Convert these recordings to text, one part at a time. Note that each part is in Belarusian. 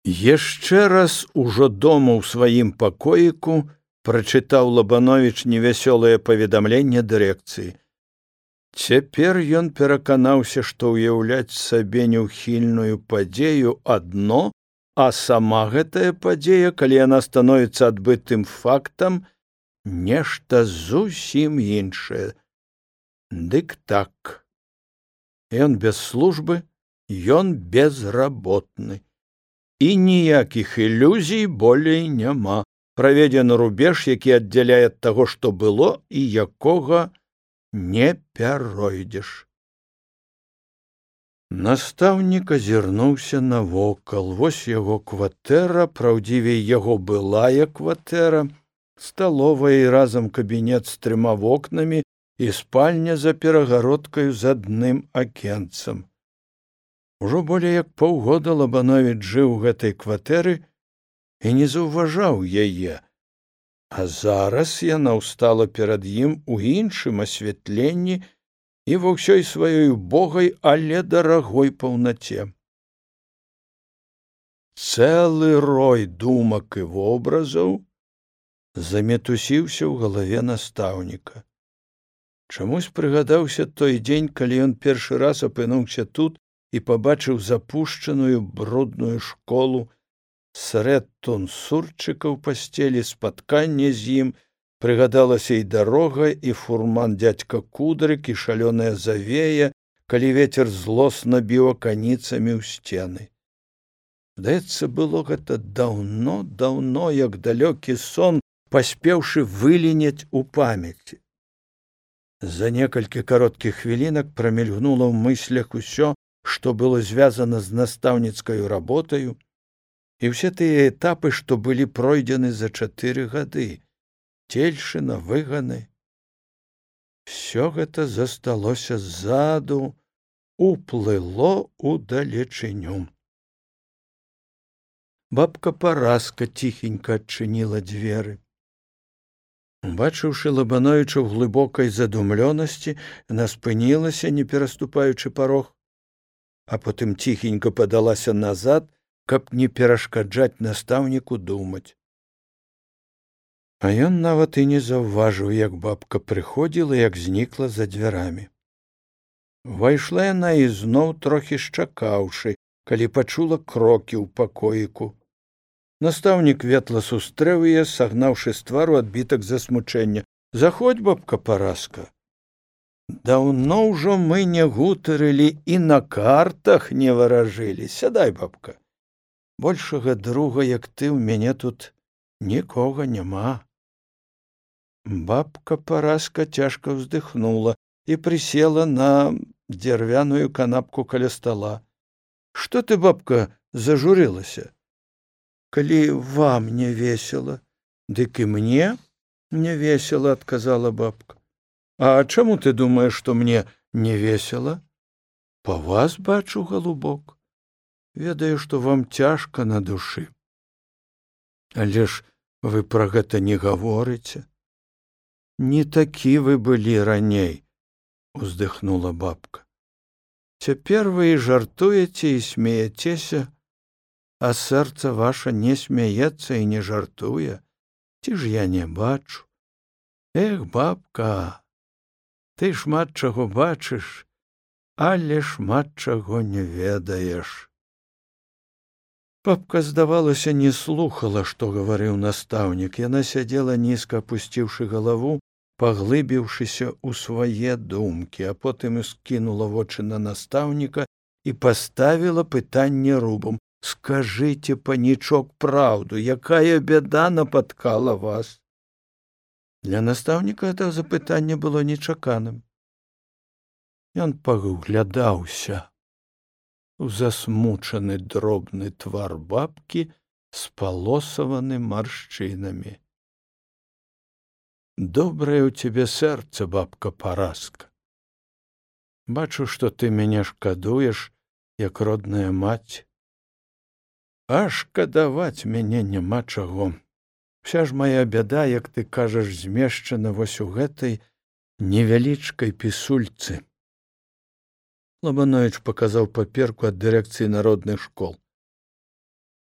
Яшчэ раз ужо дома ў сваім пакоіку прачытаў Лабановіч невясёлае паведамленне дырэкцыі. Цяпер ён пераканаўся, што ўяўляць сабе няўхільную падзею адно, а сама гэтая падзея, калі яна становіцца адбытым фактам, нешта зусім іншае. Дык так. Ён без службы, ён безработны. І ніякіх ілюзій болей няма. Праведзены рубеж, які аддзяляе ад таго, што было і якога не пяройдзеш. Настаўнік азірнуўся навокал. Вось яго кватэра, праўдзівей, яго былая кватэра, сталовая і разам кабінет з 3 вокнамі і спальня за перагародкаю з адным акенцам. Ужо болей як паўгода Лабановіч жыў у гэтай кватэры і не заўважаў яе, а зараз яна ўстала перад ім у іншым асвятленні і ва ўсёй сваёй убогай, але дарагой паўнаце. Цэлы рой думак і вобразаў замітусіўся ў галаве настаўніка. Чамусь прыгадаўся той дзень, калі ён першы раз апынуўся тут і пабачыў запушчаную брудную школу, срэд тунсурчыка ў пасцелі, спатканне з ім, прыгадалася і дарога, і фурман дзядзька Кудрык, і шалёная завея, калі вецер злосна біў аканіцамі ў сцены. Здаецца, было гэта даўно, як далёкі сон, паспеўшы выліняць у памяці. За некалькі кароткіх хвілінак прамільгнула ў мыслях усё, што было звязана з настаўніцкаю работаю, і ўсе тыя этапы, што былі пройдзены за 4 гады, цельшына, выганы. Всё гэта засталося ззаду, уплыло удалечыню. Бабка Параска ціхенька адчыніла дзверы. Убачыўшы Лабановіча ў глыбокай задумлёнасці, яна спынілася, не пераступаючы парог, а потым ціхенька падалася назад, каб не перашкаджаць настаўніку думаць. А ён нават і не заўважыў, як бабка прыходзіла, як знікла за дзвярамі. Увайшла яна ізноў, трохі шчакаўшы, калі пачула крокі ў пакоіку. Настаўнік ветла сустрэў яе, сагнаўшы з твару адбітак засмучэння. «Заходь, бабка Параска. Даўно ўжо мы не гутарылі і на картах не варажылі. Сядай, бабка. Большага друга, як ты, ў мяне тут нікога няма». Бабка Параска цяжка ўздыхнула і прысела на дзярвяную канапку каля стала. «Што ты, бабка, зажурылася?» «Калі вам не весела, дык і мне не весела», — адказала бабка. «А чаму ты думаеш, што мне не весела?» «Па вас бачу, галубок. Ведаю, што вам цяжка на душы. Але ж вы пра гэта не гаворыце. Не такі вы былі раней», — уздыхнула бабка. «Цяпер вы і жартуеце, і смеяцеся, а сэрца ваша не смяецца і не жартуе. Ці ж я не бачу? Эх, бабка, ты шмат чаго бачыш, але шмат чаго не ведаеш». Бабка, здавалася, не слухала, што гаварыў настаўнік. Яна сядзела нізка, апусціўшы галаву, паглыбіўшыся ў свае думкі, а потым скінула вочы на настаўніка і паставіла пытанне рубам. «Скажыце, панічок, праўду, якая бяда напаткала вас?» Для настаўніка гэта запытанне было нечаканым. Ён паглядаўся у засмучаны дробны твар бабкі, спалосаваны маршчынамі. «Добрае ў цябе сэрца, бабка Параска. Бачу, што ты мяне шкадуеш, як родная маці. А шкадаваць мяне няма чаго. Вся ж моя бяда, як ты кажаш, змешчана вось у гэтай невялічкай пісульцы». Лабановіч паказаў паперку ад дырэкцыі народных школ.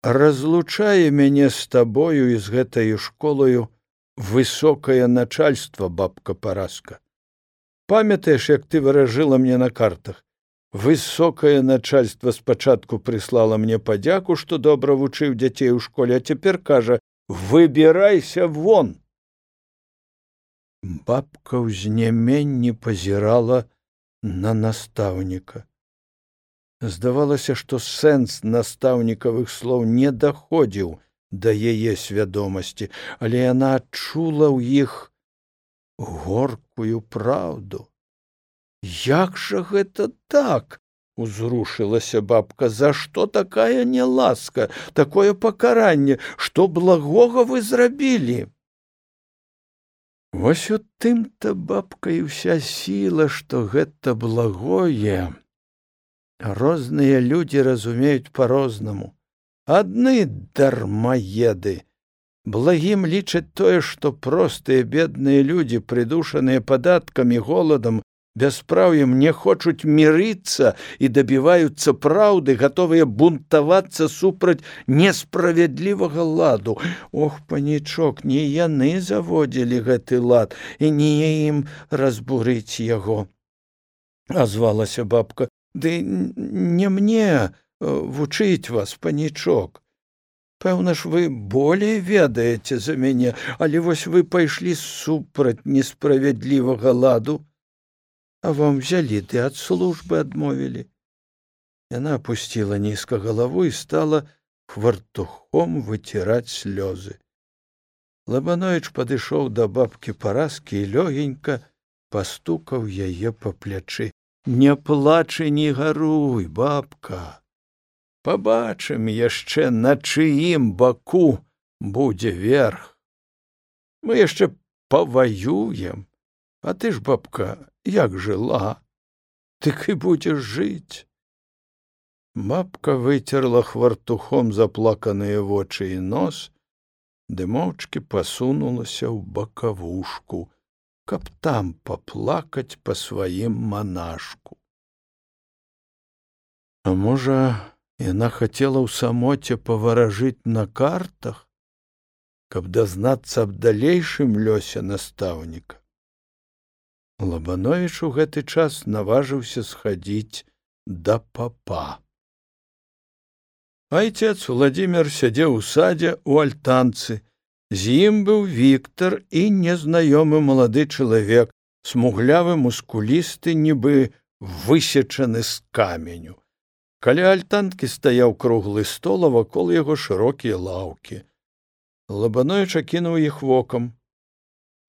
разлучае мяне з табою і з гэтаю школаю высокае начальство, бабка Параска. Памятаеш, як ты выражыла мне на картах? Высокае начальство спачатку прыслала мне падзяку, што добра вучыў дзяцей у школе, а цяпер кажа: выбірайся вон. Бабка ў знеменні пазірала на настаўніка. Здавалася, што сэнс настаўнікавых слоў не даходзіў да яе свядомасці, але яна адчула ў іх горкую праўду. Як жа гэта так? Узрушылася бабка. За што такая няласка, такое пакаранне? Што благога вы зрабілі? Вось у тым-то, бабка, і ўся сіла, што гэта благое розныя людзі разумеюць па-рознаму. Адны дармаеды. Благім лічаць тое, што простыя бедныя людзі, прыдушаныя падаткамі, голадам, бяспраўем, не хочуць мірыцца і дабіваюцца праўды, гатовыя бунтавацца супраць несправядлівага ладу. Ох, панічок, не яны заводзілі гэты лад, і не ім разбурыць яго. Азвалася бабка. Ды не мне вучыць вас, панічок. Пэўна ж, вы болей ведаеце за мяне, але вось вы пайшлі супраць несправядлівага ладу, а вам взялі ды ад службы адмовілі. Яна апусціла нізка галаву і стала хвартухом выціраць слёзы. Лабановіч падышоў да бабкі Параскі і лёгенька пастукаў яе па плячы. Не плач і не гаруй, бабка. Пабачым яшчэ, на чыім баку будзе верх. Мы яшчэ паваюем. А ты ж, бабка, як жыла, тык і будзеш жыць. Бабка выцерла хвартухом заплаканыя вочы і нос, ды моўчкі пасунулася ў бакавушку, каб там паплакаць па сваім манашку. А можа, яна хацела ў самоце паваражыць на картах, каб дазнацца аб далейшым лёсе настаўніка. Лабановіч у гэты час наважыўся схадзіць да папа. Айцец Владзімір сядзеў у садзе ў альтанцы. З ім быў Віктар і незнаёмы малады чалавек, смуглявы, мускулісты, нібы высечаны з каменю. Каля альтанкі стаяў круглы стол, а вакол яго шырокія лаўкі. Лабановіч акінуў іх вокам.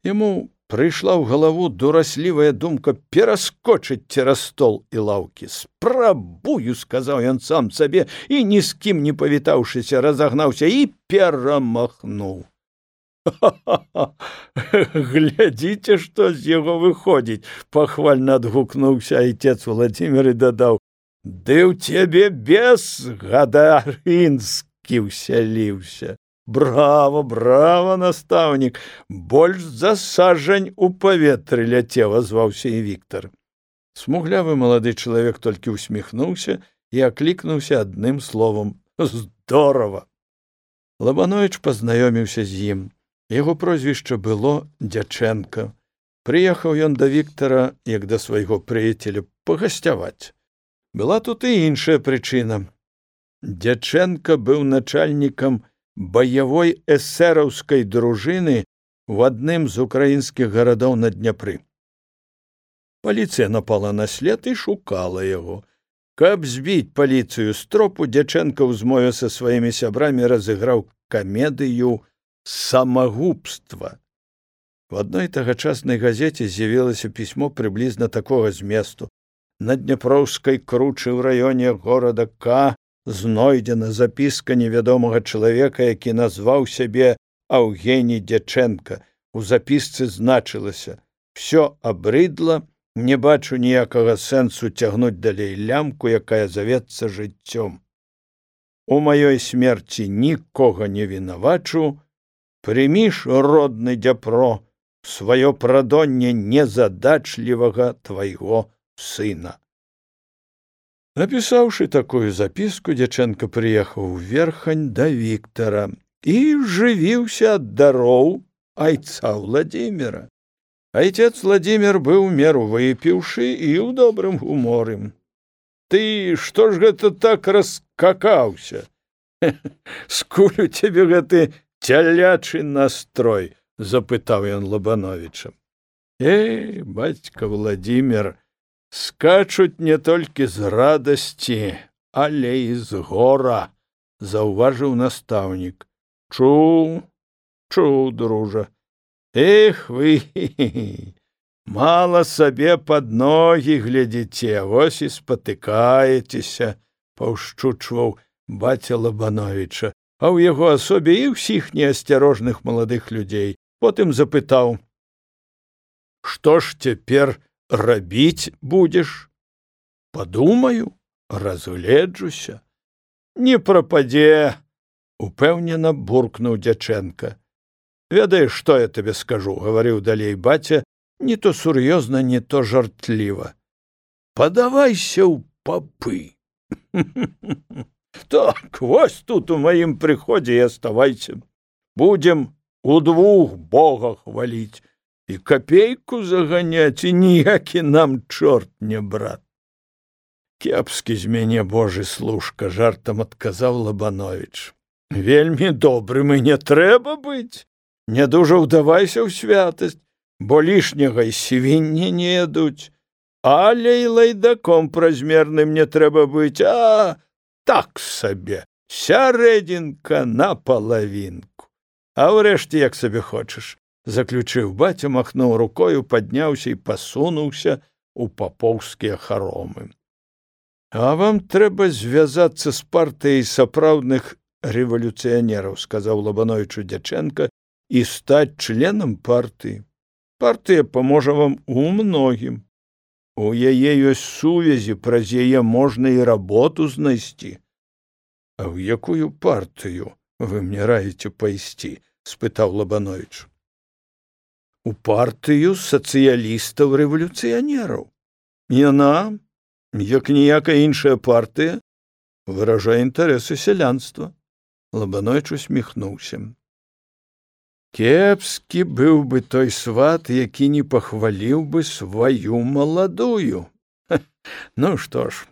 Яму прыйшла ў галаву дураслівая думка пераскочыць цераз стол і лаўкі. «Спрабую», — сказаў ён сам сабе, і, ні з кім не павітаўшыся, разагнаўся і перамахнуў. «Ха-ха-ха! Глядзіце, што з яго выходзіць!» — пахвальна адгукнуўся айцец Владзімір і дадаў: «Ды ў цябе бес гадарынскі ўсяліўся! Браво, браво, настаўнік! Больш за сажань у паветры ляцеў», — азваўся і Віктар. Смуглявы малады чалавек толькі усміхнуўся і аклікнуўся адным словам: «Здорава!» Лабановіч пазнаёміўся з ім. Яго прозвішча было Дзячэнка. Прыехаў ён да Віктара, як да свайго прыяцеля, пагасцяваць. Была тут і іншая прычына. Дзячэнка быў начальнікам баявой эсэраўскай дружыны ў адным з украінскіх гарадоў на Дняпры. Паліцыя напала на след і шукала яго. Каб збіць паліцыю з тропу, Дзячэнка ў змове са сваімі сябрамі разыграў камедыю самагубства. В адной тагачаснай газеце з'явілася пісьмо прыблізна такога зместу. На Дняпроўскай кручы ў раёне горада К знойдзена запіска невядомага чалавека, які назваў сябе Аўгеній Дзячэнка. У запісцы значылася: «Всё абрыдла, не бачу ніякага сэнсу цягнуць далей лямку, якая завецца жыццём. У маёй смерці нікога не вінавачу, прымі ж, родны Дняпро, сваё прадонне незадачлівага твайго сына». Напісаўшы такую запіску, Дзячэнка прыехаў у Верхань да Віктара і жывіўся ад дароў айца Владзіміра. Айцец Владзімір быў у меру выпіўшы і ў добрым гуморы. Ты што ж гэта так раскакаўся? Скуль у цябе гэты цялячы настрой? Запытаў ён Лабановіча. Бацька Владзімір, скачуць не толькі з радасці, але і з гора, заўважыў настаўнік. Чуў, дружа. Вы мала сабе пад ногі глядзіце, вось і спатыкаецеся, паўшчучваў баця Лабановіча, а ў яго асобе і ўсіх неасцярожных маладых людзей. Потым запытаў: што ж цяпер рабіць будзеш? Падумаю, разгледжуся. Не прападзе, упэўнена буркнуў Дзячэнка. Ведаеш, што я табе скажу, гаварыў далей баця, не то сур'ёзна, не то жартліва. Падавайся ў папы. Так, вось тут у маім прыходзе і аставайся. Будзем удвух Бога хваліць і капейку заганяць, і ніякі нам чорт не брат. Кепскі з мяне Божы служка, жартам адказаў Лабановіч. Вельмі добрым і не трэба быць. Не дужа ўдавайся ў святасць, бо лішняга й свінні не ядуць. Але і лайдаком празмерным не трэба быць, а так сабе, сярэдзінка на палавінку. А ўрэшце, як сабе хочаш, заключыў баця, махнуў рукою, падняўся і пасунуўся у папоўскія харомы. А вам трэба звязацца з партыяй сапраўдных рэвалюцыянераў, сказаў Лабановічу Дзячэнка, і стаць членам партыі. Партыя паможа вам у многім. У яе ёсць сувязі, праз яе можна і работу знайсці. А ў якую партыю вы мне раіце пайсці? Спытаў Лабановіч. У партыю сацыялістаў-рэвалюцыянераў. Яна, як ніякая іншая партыя, выражае інтарэсы сялянства. Лабановіч усміхнуўся. Кепскі быў бы той сват, які не пахваліў бы сваю маладую. Ну што ж,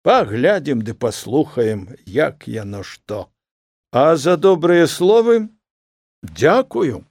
паглядзім ды паслухаем, як яно што. А за добрыя словы дзякую.